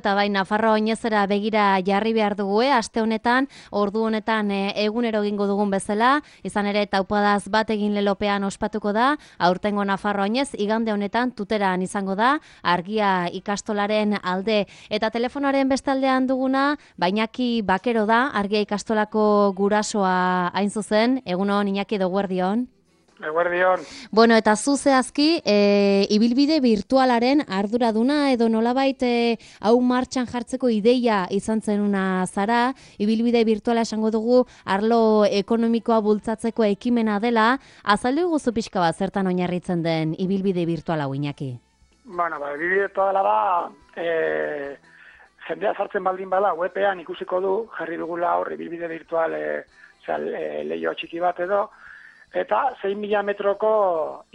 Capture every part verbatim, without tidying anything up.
Eta bai, Nafarroa oinezera begira jarri behar dugu, eh? Aste honetan, ordu honetan e, egunero egingo dugun bezala, izan ere taupadaz bat egin lelopean ospatuko da, aurtengo Nafarroa oinez, igande honetan tuteran izango da, argia ikastolaren alde. Eta telefonoaren bestaldean duguna, Iñaki Bakero da, argia ikastolako gurasoa hain zuzen, egunon Iñaki Eguerdion. Eguerdion. Bueno, eta zu zehazki, e, ibilbide virtualaren arduraduna edo nolabait e, hau martxan jartzeko ideia izan zenuna zara, ibilbide virtuala esango dugu arlo ekonomikoa bultzatzeko ekimena dela, azaldu guzu pixka bat zertan oinarritzen den ibilbide virtuala hau Iñaki? Bueno, ba, ibilbide virtuala da, e, jendea sartzen baldin bada, webean ikusiko du, jarri dugula hor ibilbide virtual e, zera, e, leio txiki bat edo, eta sei mila metroko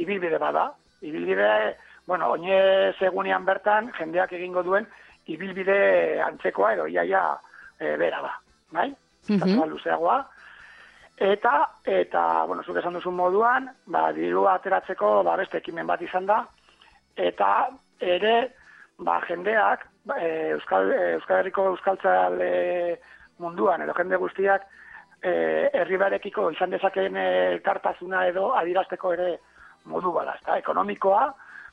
ibilbide bada. Ibilbide, bueno, oinez egunean bertan, jendeak egingo duen ibilbide antzekoa edo iaia e, bera da, bai? Mm-hmm. Luzeagoa. Eta, eta, bueno, zuk esan duzun moduan, ba, dirua ateratzeko ba, beste ekimen bat izan da, eta ere, ba, jendeak, ba, e, Euskal, Euskal Herriko euskaltzale munduan, edo jende guztiak, herribarekiko izan dezakeen elkartasuna edo adirazteko ere modu bada, ezta? Ekonomikoa,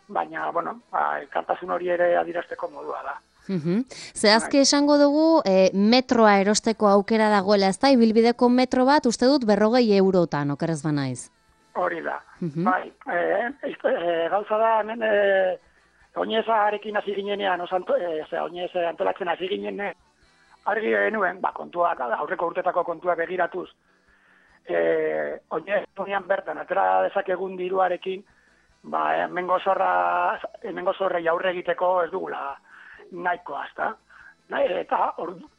baina, bueno, ba, elkartasun hori ere adirazteko modua da. Uhum. Zehazki esango dugu e, metroa erosteko aukera dagoela, ezta? Ibilbideko metro bat, uste dut berrogei eurotan, okerez banaiz. Hori da. Uhum. Bai, e, e, gauza da, hemen, e, oinezarekin hasi ginenean, osanto, e, oinez antolatzen hasi ginenean, argi genuen, ba, kontuak, aurreko urtetako kontuak begiratuz, e, oinez bertan, atera dezakegun diruarekin, ba, hemengo zorra, hemengo zorrei aurre egiteko ez dugula nahikoa, ezta? Eta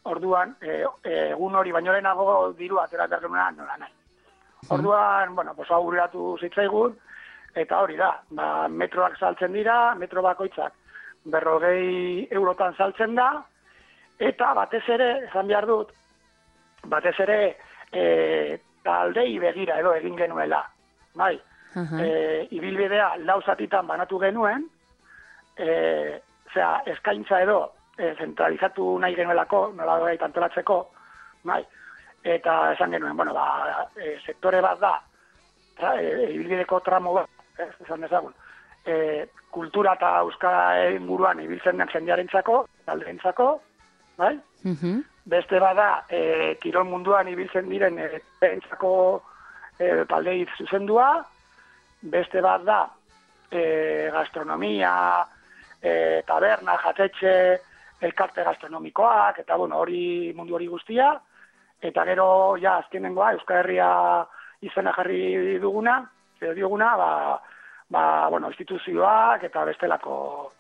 orduan, e, egun hori baino lehenago dirua atera behar genuean, nola nahi. Orduan, bueno, pues aurreratu zitzaigun, eta hori da, ba, metroak saltzen dira, metro bakoitzak berrogei eurotan saltzen da, eta batez ere, esan behar dut, batez ere e, taldei begira edo egin genuela. Bai, uh-huh. e, ibilbidea lau zatitan banatu genuen, e, zera, eskaintza edo e, zentralizatu nahi genuelako, nola doi antolatzeko, bai, eta esan genuen, bueno, ba, e, sektore bat da, tra, e, ibilbideko tramo bat, ez, esan dezagun, e, kultura eta euskara inguruan ibiltzen den jendearentzako, taldeentzako, bai? Uh-huh. Beste bada, e, kirol munduan ibiltzen diren e, entzako e, taldei zuzendua, beste bat da, e, gastronomia, e, taberna, jatetxe, elkarte gastronomikoak, eta bueno, hori mundu hori guztia, eta gero, ja, azkenengoa, Euskal Herria izena jarri duguna, edo dioguna, ba, ba, bueno, instituzioak eta bestelako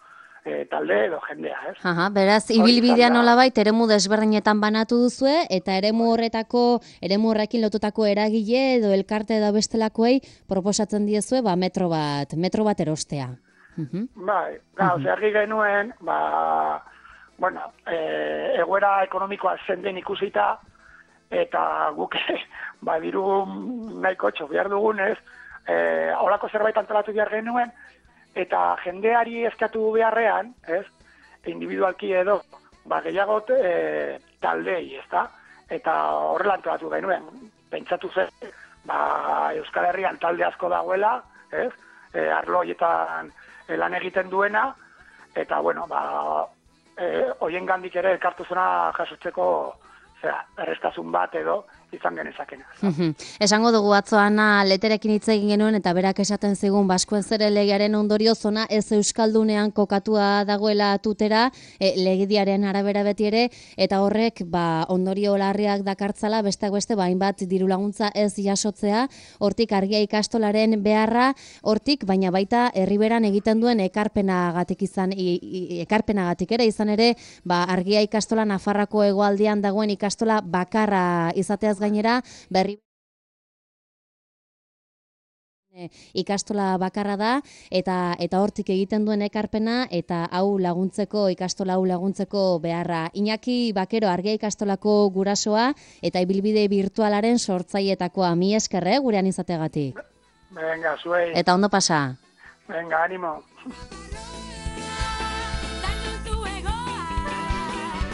E, talde edo jendea, ez? Aha, beraz, ibilbidea nolabait eremu desberdinetan banatu duzue, eta eremu horretako, eremu horrekin lotutako eragile edo elkarte edo bestelakoei proposatzen diezue, ba, metro bat, metro bat erostea. Uh-huh. Bai, gau, uh-huh. Zergi genuen, ba, bueno, e, egoera ekonomikoa zenden ikusita, eta guk, ba, diru nahiko txo behar dugunez, e, holako zerbait antolatu behar genuen, eta jendeari eskatu beharrean, ez, individualki edo, ba, gehiago e, taldei, ezta? Eta horrela antolatu genuen, pentsatu zen, ba, Euskal Herrian talde asko dagoela, ez, e, arlo horietan e, lan egiten duena, eta, bueno, ba, e, hoien gandik ere elkartuzuna jasotzeko, zera, errestasun bat edo, izan genezakena. Esango dugu atzoana leterekin hitz egin genuen eta berak esaten zigun Baskuen Zere legearen ondorio zona ez euskaldunean kokatua dagoela tutera, e, legediaren arabera beti ere, eta horrek ba, ondorio larriak dakartzala, besteak beste ba, hainbat diru laguntza ez jasotzea, hortik argia ikastolaren beharra, hortik baina baita herriberan egiten duen ekarpenagatik izan i, i, ekarpenagatik ere izan ere, ba, argia ikastola Nafarroako hegoaldean dagoen ikastola bakarra izateaz gainera, berri ikastola bakarra da, eta eta hortik egiten duen ekarpena, eta hau laguntzeko, ikastola hau laguntzeko beharra. Iñaki Bakero, argia ikastolako gurasoa, eta ibilbide virtualaren sortzaietakoa. Mi eskerre, gurean izategatik. Venga, zuei. Eta ondo pasa. Venga, ánimo.